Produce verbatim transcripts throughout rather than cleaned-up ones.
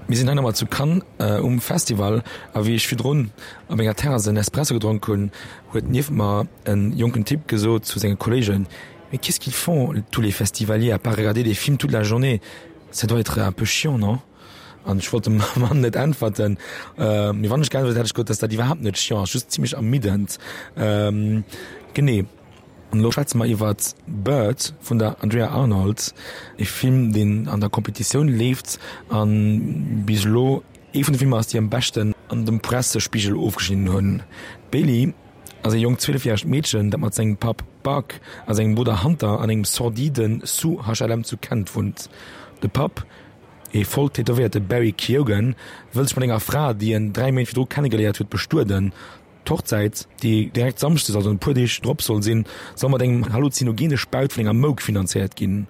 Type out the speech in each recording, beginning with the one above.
Mir sinn hei nach mol zu Cannes um Festival a wéi ech virdrun op enger Terrasse en Espresso gedronk hunn, huet nieft mer en jonken Typ gesot zu senge Kollegen, Mais qu'est-ce qu'ils font tous les festivaliers à part regarder des films toute la journée? Ça doit être un peu chiant, non? An ech wollt dem Mann net äntwerten, mee wann ech geäntwert hätt, hätt ech gesot, dass dat iwwerhaapt net chiant ass, just zimlech ermiddend. Genee. An elo schwätze mer iwwer Bird vun der Andrea Arnold, e Film, deen an der Competitioun leeft a bis elo ee vun de Filmer ass, déi am beschten an dem Pressespigel ofgeschnidden hunn. D'Bailey ass e jonkt zwielefjäregt Meedchen, dat mat sengem Papp Buck a sengem Brudder Hunter an engem sordide Sous-HLM zu Kent wunnt. De Papp, e voll tätowéierte Barry Keoghan, wëll sech mat enger Fra, déi en dräi Méint virdru kennegeléiert huet, bestueden. D'Hochzäit, déi direkt samschdes, also en puer Deeg drop soll sinn, soll mat engem halluzinogene Spaut vun enger Mouk finanzéiert ginn.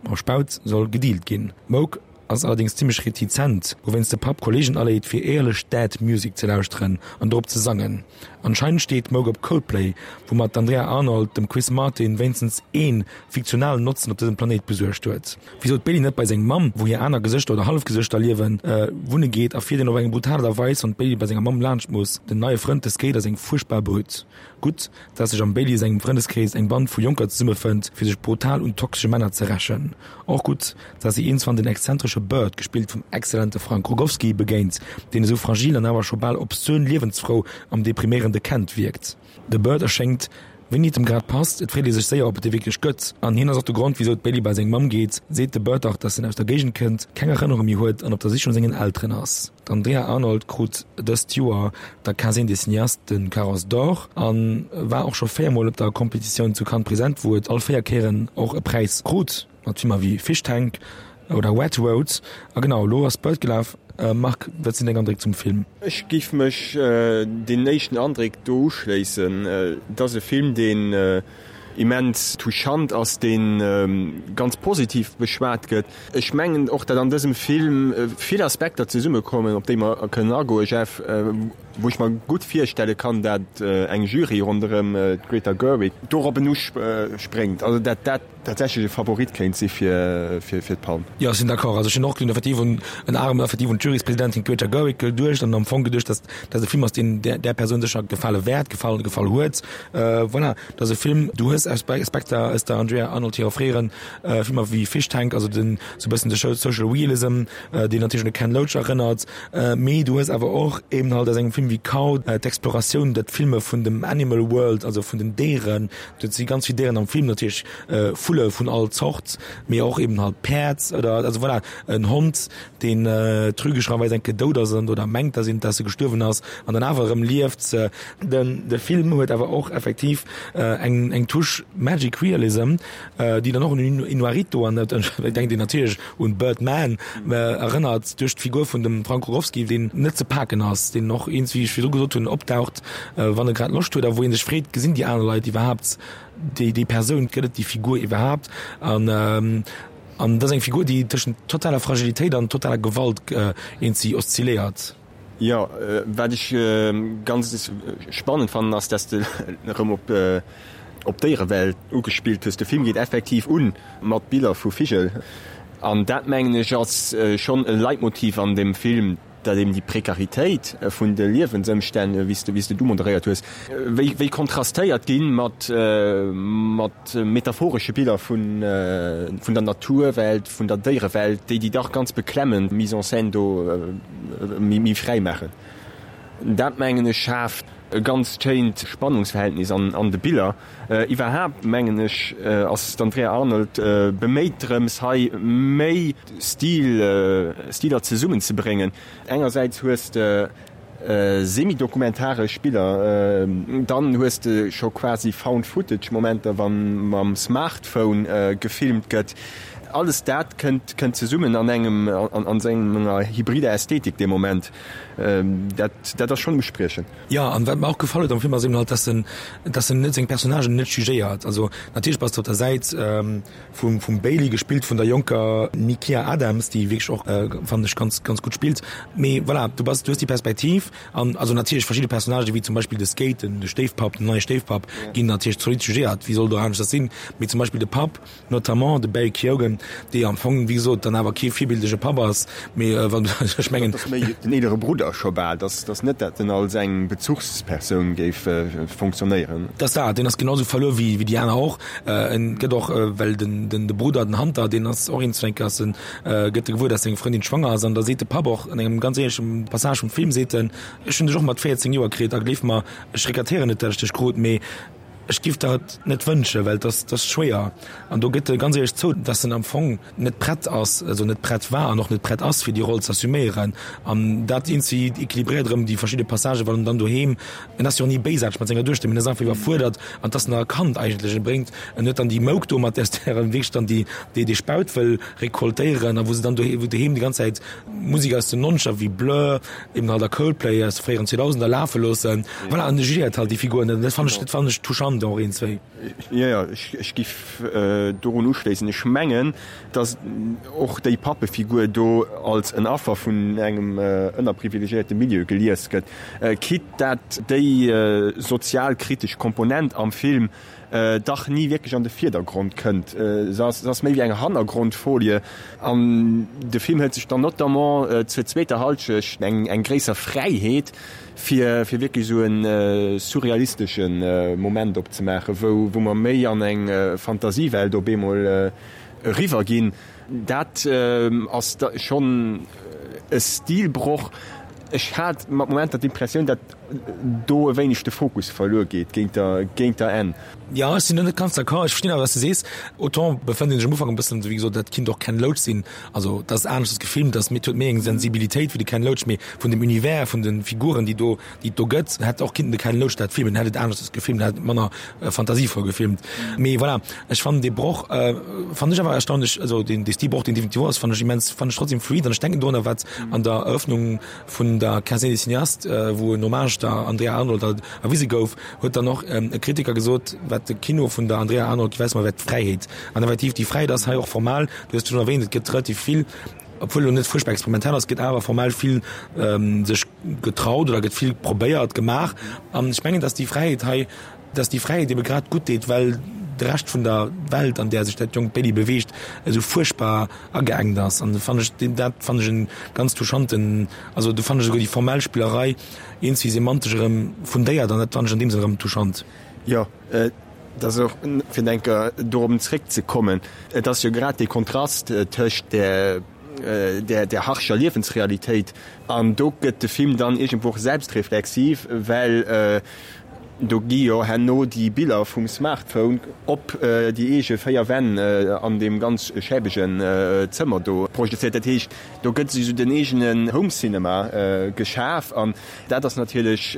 Mam Spaut soll gedealt ginn. D'Mouk ass allerdéngs zimmlech retizent, wouwéinst de Papp Kolleegen aleet, fir éierlech Dead Music ze lauschteren an dorop ze sangen. Anscheinend steet d'Mouk op Coldplay, woumat d'Andrea Arnold dem Chris Martin wéinstens ee fiktionalen Notzen op dësem Planéit besuergt huet. Wisou d'Bailey net bei seng Mamm, wou hir aner Gesëschter oder Hallefgesëschter liewen, wunne geet, erfiert een op eng brutal Aart a Weis, wann d'Bailey bei senger Mamm laanscht muss. Den neie Frënd, de Skater, ass eng fuerchtbar Brütt. Gutt, dass sech am Bailey sengem Frëndeskrees eng Band vu Jonker zesummefënnt, fir sech brutal un toxesche Männer ze rächen. Och gutt, dass si iergendswann den exzentresche Bird, gespillt vum exzellente Frank Rogowski, begéint, deen esou fragil an awer scho bal obszön liewensfrou am depriméierende Kent wierkt. De Bird erschéngt Wéini et em grad passt, et freet ee sech séier, ob et dee wierklech gëtt. An hien ass och de Grond, wisou d'Bailey bei seng Mamm geet, seet de Bird dach, dass en aus der Géigend kënnt, keng Erënnerung méi huet an op der Sich no sengen Elteren ass. D'Andrea Arnold krut dëst Joer der Quinzaine des Cinéastes de Carrosse d'Or a war och scho véier Mol op der Competitioun zu Cannes present, wou et all véier Kéieren och e Präis krut, mat Filmer wéi Fish Tank oder Wet Road. A genau, elo ass Bird gelaf. Marc, wat sinn deng Andréck zum Film? Ech géif mech deenen éischten Andréck do uschléissen. Et ass e Film, deen immens touchant ass, dee ganz positiv beschwat gëtt. Ech mengen och, datt an dësem Film vill Aspekter zesummekommen, op déi mer kënnen agoen, Jeff, wou ech mer gutt virstelle kann, datt eng Jury ronderëm d'Greta Gerwig dorop uspréngt, also datt dat tatsächlech e Favorit kéint si fir d'Palm. Jo, ech sinn d'accord. Also ech hunn och effektiv un en arem effektiv un d'Juryspresidentin Greta Gerwig geduecht an am Fong geduecht, dass dat e Film ass, deen där där Persoun sécher gefale wäert, gefall gefall huet. Voilà, dat ass e Film, du hues Aspekter aus der Andrea Arnold hirer fréieren Filmer wéi Fish Tank, also den sou e bëssen de Social Realism, deen natierlech un de Ken Loach erënnert, mee du hues awer och eben halt aus engem Film wéi Cow d'Exploratioun, dat Filme vun dem Animal World, also vun den Déieren. Do si ganz vill Déieren am Film natierlech, Vulle vun all Zort, mee och eben halt Päerd oder also voilà, en Hond, deen trügescherweis eng Kéier dout ass an oder mengt, dass een, dass e gestuerwen ass an dann awer erëm lieft. Den de Film huet awer och effektiv eng eng Touche Magic Realism, déi dann och un Iñárritu an et denkt een natierlech un Birdman erënnert duerch d'Figur vun dem Frank Rogowski, deen net ze paken ass, deen och eens, wéi ech virdru gesot hunn, opdaucht, wann e grad Loscht huet a wou ee sech freet, gesinn déi aner Leit iwwerhaapt déi déi Persoun, gëtt et déi Figur iwwerhaapt? An an dat ass eng Figur, déi tëschent totaler Fragilitéit an totaler Gewalt eenzi oszilléiert. Jo, wat ech ganz spannend fannen, ass, dass de erëm op op d'Déierewelt ugespillt hues. De Film geet effektiv un mat Biller vu Vigel an dat, mengen ech, ass schonn e Leitmotiv an deem Film. Dat eben déi Prekaritéit vun de Liewensëmstänn, wéi s de, wéi s de et umoderéiert hues, wéi, wéi kontrastéiert ginn mat, mat metaphoresche Biller vun, vun der Naturwelt, vun der Déierewelt, déi déi dach ganz beklemmend Mise en scène do méi, méi fräi maachen. Dat, mengen ech, schaaft e ganz schéint Spannungsverhältnis an, an de Biller. Iwwerhaapt, mengen ech, ass d'Andrea Arnold beméit drëms, hei méi Stil, Stiler zesummenzebréngen. Engersäits hues de semi-dokumentaresch Biller, dann hues de scho quasi Found-Footage-Momenter, wa mam Smartphone gefilmt gëtt. Alles dat kënnt, kënnt zesummen an engem, an enger hybrider Ästhetik dee Moment. Dat, dat ass schonn uspriechend. Jo, an wat mer och gefall huet am Film ass eben halt, dass en, dass en net seng Personnagen net jugéiert. Also natierlech bass de op der Säit vum, vum Bailey, gespillt vun der jonker Nykia Adams, déi wierklech och, fannen ech, ganz, ganz gutt spillt. Mee voilà, du bass, du hues déi Perspektiv an also natierlech verschidde Personnagen, wéi zum Beispill de Skate, den, de Stéifpapp, den neie Stéifpapp, ginn natierlech zolidd jugéiert, wéi soll et och aneschters sinn. Mee zum Beispill de Papp, notamment de Barry Keoghan, dee am Fong, wéi gesot, dann awer kee virbildege Papp ass, mee wann, ech mengen. Dat ass méi den eelere Brudder scho bal, dat ass net dat en als eng Bezuchspersoun géif fonctionnéieren. Dat ass dat, deen ass genau sou verluer wéi déi aner och. En gëtt och, well den, den, de Brudder, den Hunter, deen ass och een Zwänker, ass en, gëtt e gewuer, dass seng Frëndin schwanger ass an da seet de Papp och an engem ganz éierleche Passage vum Film, seet en, Ech hunn dech och mat véierzéng Joer kritt a gleef mer, ech regrettéieren net, dat ech dech krut, mee ech giff der et net wënschen, well et ass, et ass schwéier. An do gëtt e ganz éierlech zou, dass en am Fong net prett ass, also net prett war an och net prett ass, fir déi Roll ze assuméieren. An dat eenzi equilibréiert erëm déi verschidde Passagen, wann en dann doheem, en ass jo och ni béisaarteg mat senger Duechter, mee en ass einfach iwwerfuerdert an et ass nach e Kand eigentlech. E bréngt, en huet dann déi Mouk do, mat där en wierklech dann déi, déi, dee Spaut wëll recoltéieren a wou se dann doheem, wou doheem déi ganz Zäit Musek aus den Nonzeger wéi Blur, eben halt a Coldplay aus de fréieren Zweedausender lafe loossen. Voilà, an e jugéiert halt déi Figuren. Dat fannen ech, dat fannen ech touchant och een, zwéi. Jo, jo, ech, ech giff dorun uschléissen. Ech mengen, dass och déi Pappefigur do als en Affer vun engem ënnerprivilegiéierte Milieu gelies gëtt, quitte dat déi sozialkritesch Komponent am Film dach ni wierklech an de Virdergrond kënnt. Se ass, se ass méi wéi eng Hannergrondfolie an de Film hëlt sech dann notamment zur zweeter Halschecht eng, eng gréisser Fräiheet, fir, fir wierklech esou e surrealistesche Moment opzemaachen, wou, wou mer méi an eng Fantasiewelt op eemol eriwwer ginn. Dat ass da schonn e Stilbroch. Ech hat mat Momenter d'Impressioun, datt do e wéineg de Fokus verluer geet géint der, géint der Enn. Jo, ech sinn do net ganz d'accord. Ech verstinn awer, wat s de sees. Autant befënnt een sech am Ufank e bëssen, wéi gesot, dat kinnt och Ken Loach sinn. Also, dat ass aneschters gefilmt, dat huet méi eng Sensibilitéit wéi de Ken Loach, mee vun dem Univers, vun de Figuren, déi do, déi et do gëtt, hätt och kinnten de Ken Loach dat filmen, hätt et aneschters gefilmt, hätt et manner fantasievoll gefilmt. Mee voilà, ech fannen dee Broch, fannen ech awer erstaunlech, also deen, dee Stilbroch, deen definitiv ass, fannen ech immens, fannen ech trotzdem fluid an ech denken dorunner, wat an der Eröffnung vun der Quinzaine des Cinéastes, wou en Hommage der Andrea Arnold halt erwise gouf, huet dann och e Kritiker gesot, wat de Kino vun der Andrea Arnold weist, ma wär d'Fräiheet. An effektiv, déi Fräiheet ass hei och formal, du hues et schonn erwähnt, et gëtt relativ vill, obwuel elo net fuerchtbar experimentell ass, gëtt awer formell vill sech getraut oder gëtt vill probéiert, gemaach. An ech mengen, dass déi Fräiheet hei, dass déi Fräiheet ebe grad gutt deet, well de Rescht vun der Welt, an där sech dat jonkt Baby beweegt, esou fuerchtbar ageengt ass. An do fannen ech, dat fannen ech e ganz touchanten, also do fannen ech esouguer déi formell Spillerei eens wéi semantesch erëm fundéiert an dat fannen ech an deem Sënn erëm touchant. Jo, et ass och, fir nach eng Kéier dorop zréckzekommen, et ass jo grad dee Kontrast tëscht där, där, där harscher Liewensrealitéit an do gëtt de Film dann iergendwou och selbstreflexiv, well Do gi jo herno déi Biller vum Smartphone op déi eege véier Wänn an deem ganz schäbegen Zëmmer do projezéiert. Dat heescht, do gëtt esou den eegenen Home Cinema geschaf an dat ass natierlech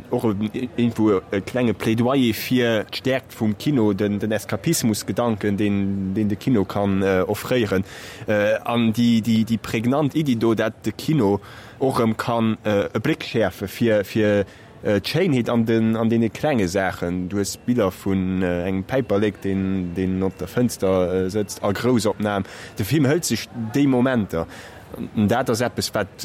och iergendwou e klenge Plädoyer fir d'Stäerkt vum Kino, den Eskapismusgedanken, deen de Kino kann offréieren an déi prägnant Iddi do, dat de Kino och erëm kann e Bléck schäerfe fir D'Schéinheet an den an deene klenge Saachen. Du hues Biller vun engem Päiperlek, deen deen op der Fënster sëtzt, a Groussopnam. De Film hëlt sech déi Momenter. An dat ass eppes, wat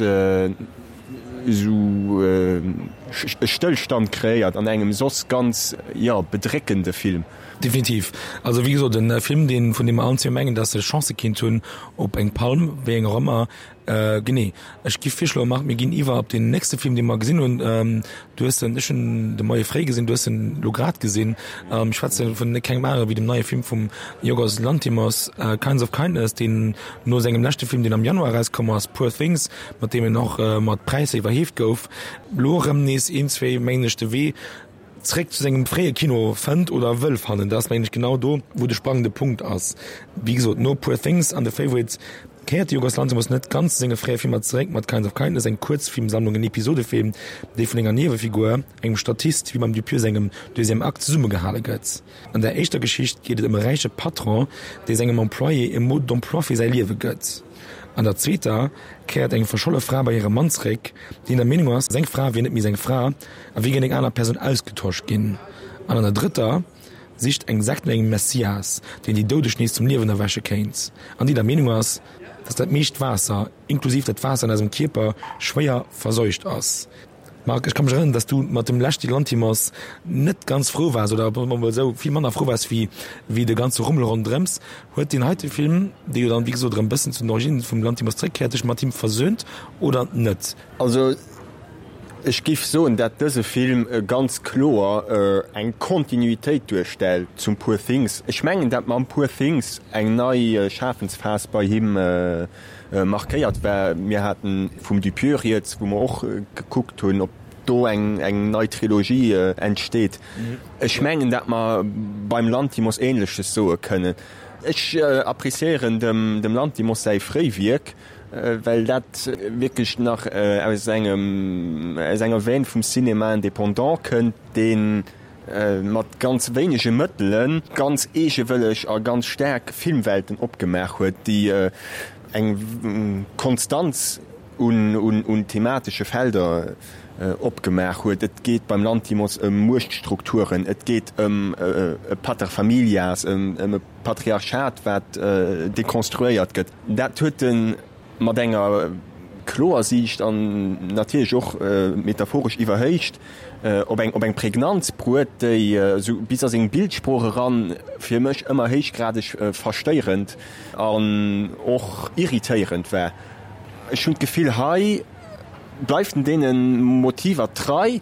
esou e Stëllstand kreéiert an engem soss ganz, jo, bedréckende Film. Definitiv. Also wéi gesot, e Film, deen, vun deem mer allen zwee mengen, dass e Chancë kinnt hunn op eng Palm, wéi eng och ëmmer. Genee. Ech giff virschloen, Marc, mir ginn iwwer op deen nächste Film, dee mer gesinn hunn. Du hues en, ech hunn en de Moie fréi gesinn, du hues en elo grad gesinn. Ech schwätze vun kengem anere wéi dem neie Film vum Yorgos Lanthimos, Kinds of Kindness, deen no sengem leschte Film, deen am Januar erauskomm ass, Poor Things, mat deem en och mat Präisser iwwerheeft gouf, elo erëm nees een, zwee, mengen ech, de Wee zréck zu sengem fréie Kino fënnt oder wëll fannen. Dat ass, mengen ech, genau do, wou de sprangende Punkt ass. Wéi gesot, no Poor Things an The Favourite kéiert de Yorgos Lanthimos net ganz zu senge fréie Filmer zeréck mat Kinds of Kindness, eng Kuerzfilmsammlung, en Episodefilm, déi vun enger Niewefigur, engem Statist, wéi beim Dupieux sengem Deuxième Acte, zesummegehale gëtt. An der éischter Geschicht geet et ëm e räiche Patron, dee sengem Employé e Mode d'emploi fir säi Liewe gëtt. An der zweeter kéiert eng verscholle Fra bei hire Mann zeréck, deen der Meenung ass, seng Fra wier net méi seng Fra a wier géint eng aner Persoun ausgetosch ginn. An an der drëtter sicht eng Sekt no engem Messias, deen déi Doudeg nees zum Liewen erwäche kéint an déi der Meenung ass, dass dat meescht Waasser, inklusiv dat Waasser an eisem Kierper, schwéier verseucht ass. Marc, ech ka mech erënneren, dass du mat dem leschte Lanthimos net ganz frou waars, oder soe mer mol esou, vill manner frou waars wéi wéi de ganze Rummel ronderëms. Huet deen heite Film, dee jo dann, wéi gesot, erëm e bëssen zu den Originnen vum Lanthimos zréckkéiert, dech mat him versöhnt oder net? Also ech géif soen, dat dëse Film ganz kloer eng Kontinuitéit duerstellt zum Poor Things. Ech mengen, dat mam Poor Things eng nei Schafensphas bei him markéiert war. Mir haten vum Dupieux rieds, wou mer och gekuckt hunn, ob do eng eng nei Trilogie entsteet. Ech mengen, dat mer beim Lanthimos Ähnleches soe kënnen. Ech appréciéieren dem dem Lanthimos säi fréi Wierk, well dat wierklech nach aus engem aus enger Veine vum Cinéma indépendant kënnt, deen mat ganz wéinege Mëttele ganz eegewëlleg a ganz staark Filmwelten opgemaach huet, déi eng Konstanz un thematesche Felder opgemaach huet. Et geet beim Lanthimos ëm Muechtstrukturen, et geet ëm e Pater familias, ëm e Patriarchat, wat dekonstruéiert gëtt. Dat huet e mat enger kloer Siicht an natierlech och metaphoresch iwwerhéicht op eng op eng Prägnanz bruet, déi esou bis a seng Bildsprooch eran fir mech ëmmer héichgradeg verstéierend an och irritéierend war. Ech hunn d'Gefill, hei bleift en deene Motiver trei,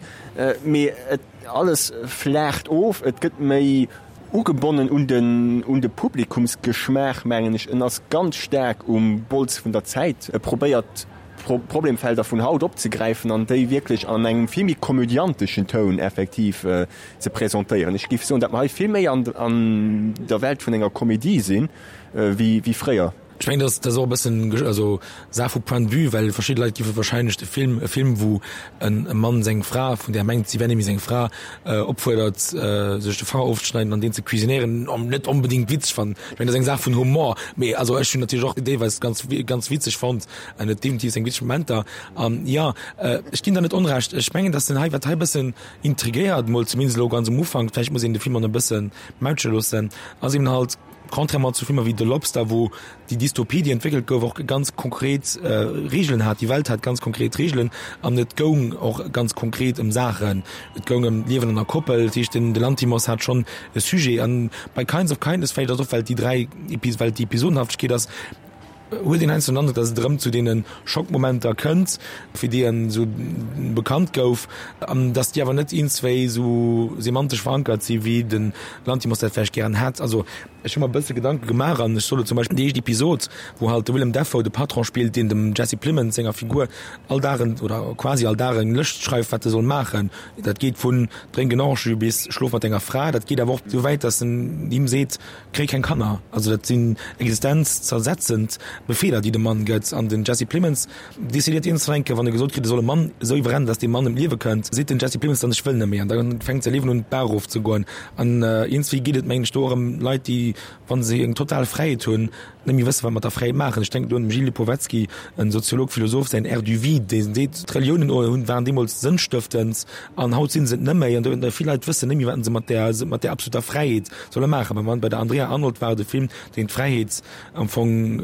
mee et alles flaacht of, et gëtt méi Ugebonnen un den un de Publikumsgeschmaach, mengen ech. En ass ganz staark um Bols vun der Zäit. E probéiert d'Problemfelder vun haut opzegräifen an déi wierklech an engem vill méi komödianteschen Toun effektiv ze presentéieren. Ech géif soen, datt mer hei vill méi an an der Welt vun enger Komedie sinn, wéi wéi fréier. Ech mengen, dat ass och e bëssen also Saach vu Point de vue, well verschidde Leit géife wahrscheinlech de Film, e Film wou e Mann seng Fra, vun där e mengt si wär net méi seng Fra, opfuerdert sech de Fanger ofzeschneiden an deen ze cuisinéieren, net onbedéngt witzeg fannen. Ech mengen, dat ass eng Saach vun Humor, mee also ech hunn natierlech och deelweis ganz ganz witzeg fonnt an huet definitiv seng witzeg Momenter. An jo, ech ginn der net Onrecht. Ech mengen, datt den hei, wat hei e bëssen intriguéiert, mol zumindest elo ganz um Ufank, vläicht muss een de Film och nach e bësse mautsche loossen, ass eben halt, Contrairement zu Filmer wéi The Lobster, wou déi Dystopie, déi entwéckelt gouf, och ganz konkret Reegelen hat, déi Welt hat ganz konkret Reegelen an et goung och ganz konkret ëm Saachen. Et goung ëm d'Liewen an der Koppel, dat heescht den Lanthimos hat schonn e Sujet. An bei Kinds of Kindness, vläicht ass och well déi dräi, well et déi Episodenhaftegkeet ass, huet een heiansdo den Androck, datt et erëm zu deene Schockmomenter kënnt, fir déi en esou bekannt gouf, an datt déi awer net iergendswéi esou semantesch verankert si wéi de Lanthimos dat vläicht gären hätt. Also ech hu mer e bësse Gedanke gemaach an ech soll zum Beispill déi éischt Episod, wou halt de Willem Dafoe de Patron spillt, deen dem Jesse Plemons senger Figur all Dag en, oder quasi all Dag eng Lëscht schreift, wat e soll maachen. Dat geet vun drénk en Orange-Jus bis schlof mat denger Fra. Dat geet awer och esou wäit, datt en him seet, Kréi keng Kanner. Also dat sinn existenzzersetzend Befeeler, déi de Mann gëtt. An den Jesse Plemons decidéiert iergendwann eng Kéier, wann e gesot kritt, e soll e Mann esou iwwerrennen, datt dee Mann ëm d'Liewe kënnt, seet den Jesse Plemons dann, ech wëll net méi. An da fänkt säi Liewen un, d'Baach erofzegoen. An iergendswéi geet et, mengen ech, do och ëm Leit, déi, wa se eng total Fräiheet hunn, net méi wëssen, wat mat der Fräiheet maachen. Ech denken do un dem Gilles Lipovetsky, en Soziolog, Philosoph, säin Ère du vide, dee seet, d'Reliounen hunn, waren deemools sënnstëftend an haut si se et net méi. An do vill Leit wëssen net méi, wat se mat där, mat där absoluter Fräiheet solle maachen. Beim, bei der Andrea Arnold war et e Film, deen d'Fräiheet am Fong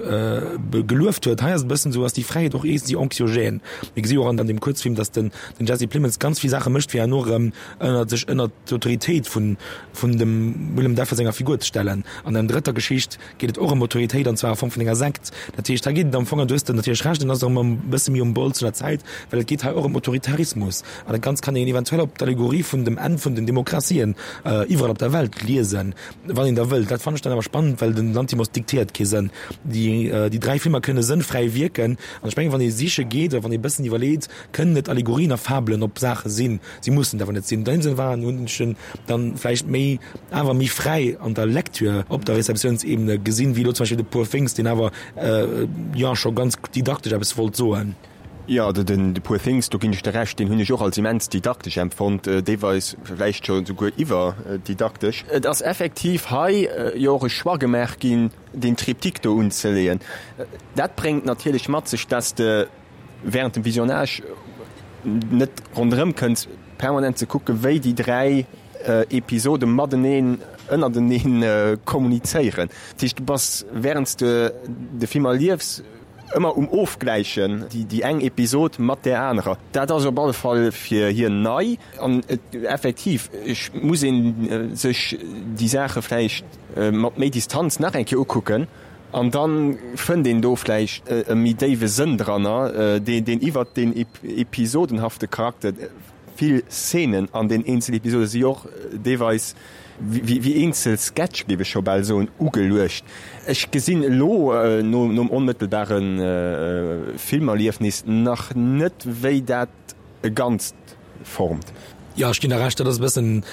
gelueft huet. Hei ass et e bëssen esou, ass déi Fräiheet och iergendwéi anxiogène. Mir gesi jo och an deem Kuerzfilm, datt den, den Jesse Plemons ganz vill Saache mécht, fir herno erëm ënner sech ënner d'Autoritéit vun, vun dem Willem Dafoe senger Figur ze stellen. An der drëtter Geschicht geet et och ëm Autoritéit, an zwar a Form vun enger Sekt. Dat heescht, hei geet et am Fong, an du hues de natierlech Recht, en ass erëm e bësse méi um Bols vun der Zäit, well et geet hei och ëm Autoritarismus. An dat Ganzt kann een eventuell op d'Allegorie vun dem Enn vun den Demokratien iwwerall op der Welt liesen, wann een da wëllt. Dat fannen ech dann awer spannend, well den Lanthimos diktéiert kee Sënn. Déi, déi dräi Filmer kënne sënnfräi wierken. An ech mengen, wann ee siche geet oder wann ee bëssen iwwerleet, kënnen et Allegorien a Fabelen op Saache sinn. Si mussen et awer net sinn. An deem Sënn waren, hunn ech en dann vläicht méi, awer méi fräi an der Lecture op der Receptiounsebene gesinn, wéi elo zum Beispill de Poor Things, deen awer, jo, scho ganz didaktesch eppes wollt soen. Jo, den The Poor Things, do ginn ech der Recht, deen hunn ech och als immens didaktesch empfonnt, deelweis vläicht scho souguer iwwerdidaktesch. Et ass effektiv hei jo och e Choix gemaach ginn, deen Triptyque do unzeleeën. Dat bréngt natierlech mat sech, dass de während dem Visionnage net ronderëm kënns, permanent ze kucken, wéi déi dräi Episode mateneen, ënnerteneen kommunizéieren. Dat heescht, du bass, während s de de Film erliefs, ëmmer um Ofgläichen, déi, déi eng Episod mat där anerer. Dat ass op alle Fall fir hien nei an et, effektiv, ech muss ee sech déi Saache vläicht mat méi Distanz nach eng Kéier ukucken an da fënnt een do vläicht e méi déiwe Sënn dranner, deen, deen iwwert deen episodenhafte Charakter, vill Szenen an den eenzel Episode si och deelweis wéi eenzel Sketch, géif ech scho bal soen, ugeluecht. Ech gesinn elo nom onmëttelbare Filmerliefnis nach net, wéi dat e Ganzt formt. Jo, ech ginn der Recht, dat ass e bëssen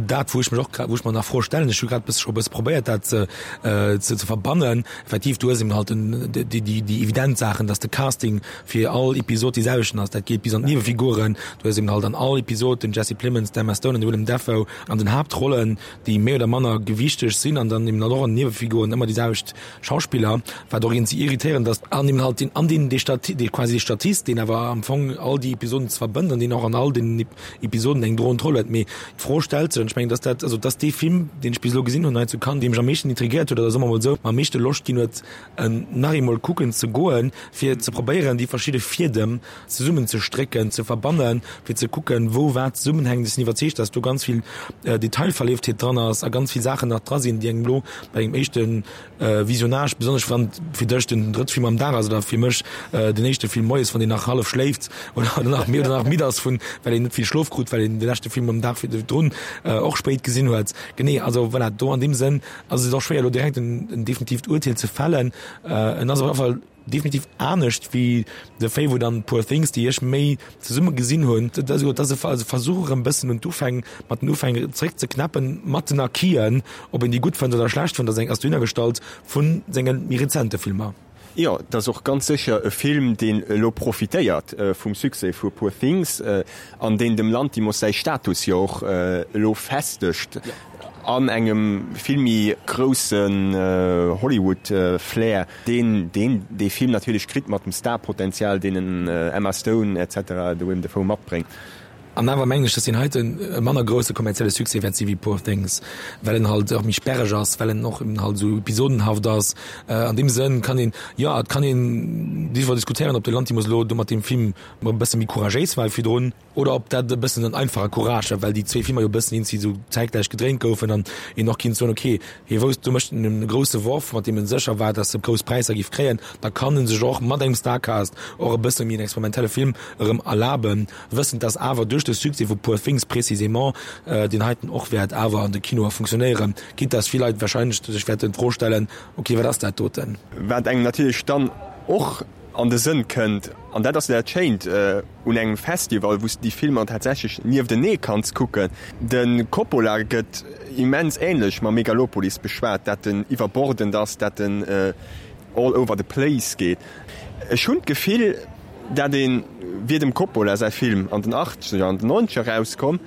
dat, wou ech mech och grad, wou ech mer nach Froe stellen. Ech hu grad scho e bësse probéiert, dat ze, ze, ze verbannen. Effektiv, du hues eben halt den, déi, déi, déi evident Saachen, dass de Casting fir all Episod déi selwechten ass. Dat geet bis an d'Niewefiguren. Du hues eben halt an all Episod den Jesse Plemons, d'Emma Stone an de Willem Dafoe an den Haaptrollen, déi méi oder manner gewichteg sinn, an dann eben halt och an den Niewefiguren ëmmer déi selwecht Schauspiller, wat och iergendwéi irritéierend ass. An eben halt den, an den, dee Stati-, dee quasi dee Statist, deen awer am Fong all déi Episoden ze verbënnt an deen och an all den Episoden eng droend Roll huet. Mee d'Fro stellt sech, an ech mengen, dass dat, also dass dee Film, deen ech bis elo gesinn hunn hei zu Cannes, dee mech am meeschten intrigéiert huet, oder soe mer emol esou, mer am meeschte Loscht ginn huet, en nach eemol kucken ze goen, fir ze probéieren, déi verschidde Fiedem zesummen ze strécken, ze verbannen, fir ze kucken, wou wat zesummenhänkt. Ech sinn iwwerzeegt, dass do ganz vill Detailverlieftheet dran ass a ganz vill Saachen nach dra sinn, déi engem elo bei engem éischte Visionnage, besonnesch wann fir dech den drëtte Film am Dag ass oder fir mech den éischte Film moies, wann een nach hallef schléift oder nach méi oder nach midd ass vun, well een net vill Schlof krut, well een de leschte Film am Dag virdrun och spéit gesinn huet. Genee, also voilà, do an deem Sënn ass et och schwéier elo direkt en definitiivt Urteel ze fällen. En ass op alle Fall definitiv anescht wéi The Favourite an Poor Things, déi ech méi zesumme gesinn hunn. Dat ass e Versuch erëm bëssen un d'Ufäng, mat den Ufäng zeréck ze knäppen, mat den Acquisen, ob een déi gutt fënnt oder schlecht fënnt, ass eng ass dohinner gestallt, vu senge méi rezente Filmer. Jo, et ass och ganz sécher e Film, deen elo profitéiert vum Succès vu Poor Things an deen dem Lanthimos säi Status jo och elo festegt an engem vill méi groussen Hollywood-Flair, deen deen dee Film natierlech kritt mat dem Star-Potenzial, deen en Emma Stone et cetera, de Willem Dafoe matbréngt. An awer mengen ech, dass deen heiten e manner grousse kommerzielle Succès wäert si wéi Poor Things, well en halt och méi sperreg ass, well en och eben halt esou episodenhaft ass. An deem Sënn kann een, jo, et kann een driwwer diskutéieren, ob de Lanthimos elo do mat deem Film e bësse méi couragéis war wéi virdrun, oder ob dat e bëssen en einfache Courage war, well déi zwee Filmer jo e bëssen eenzi esou zäitgläich gedréint goufen an een och kinnt soen, okay, hie wousst, do mécht en e grousse Worf, mat deem en sécher war, dass e grouss Präisser géif kréien, da kann en sech och mat engem Starcast och e bësse méi en experimentelle Film erëm erlaben. Wëssend dass awer duerch de Succès vu Poor Things précisément deen heiten och wäert awer an de Kinoer funktionéieren, quitte dass vill Leit wahrscheinlech sech wäerten d'Fro stellen, ok, wat ass dat doten? Wat engem natierlech dann och an de Sënn kënnt, an dat ass dat Schéint un engem Festival, wou s de déi Filmer tatsächlech nieftenee kanns kucken, de Coppola gëtt immens änlech mam Megalopolis beschwat, dat en iwwerbordend ass, dat en all over the place geet. Ech hunn d'Gefill, dat een, wier dem Coppola säi Film an den Achtzeger, an den Nonzeger erauskomm,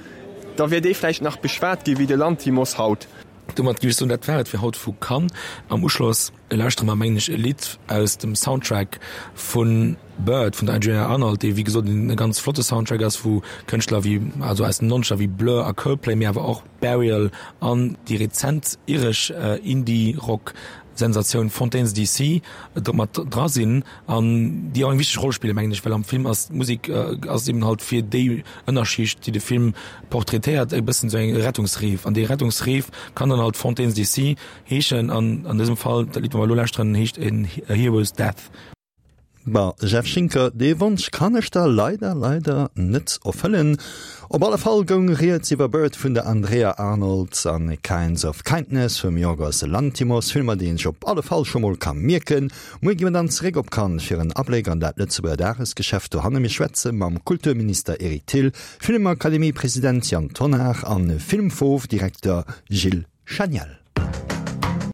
da wier dee vläicht nach beschwat gi wéi de Lanthimos haut. Domat géif ech soen, dat war et fir haut vu Cannes. Am Uschloss lauschtere mer, mengen ech, e Lidd aus dem Soundtrack vu Bird vun der Andrea Arnold, dee wéi gesot e ganz flotte Soundtrack ass, wou Kënschtler wéi, also aus den Nonzeger wéi Blur a Coldplay, mee awer och Burial an déi rezent iresch Indie-Rock Sensatioun Fontaines D C do mat dra sinn an déi och eng wichteg Roll spillen, mengen ech, well am Film ass d'Musek ass eben halt fir déi Ënnerschicht, déi de Film portraitéiert, e bëssen esou eng Rettungsreef an déi Rettungsreef kann dann halt Fontaines D C heeschen an an dësem Fall dat Lidd, wat mer elo lauschteren, heescht A Hero's Death. Bon, Jeff Schinker, dee Wonsch kann ech der leider, leider net erfëllen. Op alle Fall goung rieds iwwer Bird vun der Andrea Arnold an Kinds of Kindness vum Yorgos Lanthimos, Filmer, déi een sech op alle Fall scho mol ka mierken. Muer gi mer dann zeréck op Cannes fir en Abléck an dat Lëtzebuerger Dagesgeschäft dohanne. Mir schwätze mam Kulturminister Eric Thill, Filmakademie-President Yann Tonnar an Filmfov-Direkter Gilles Chaniel.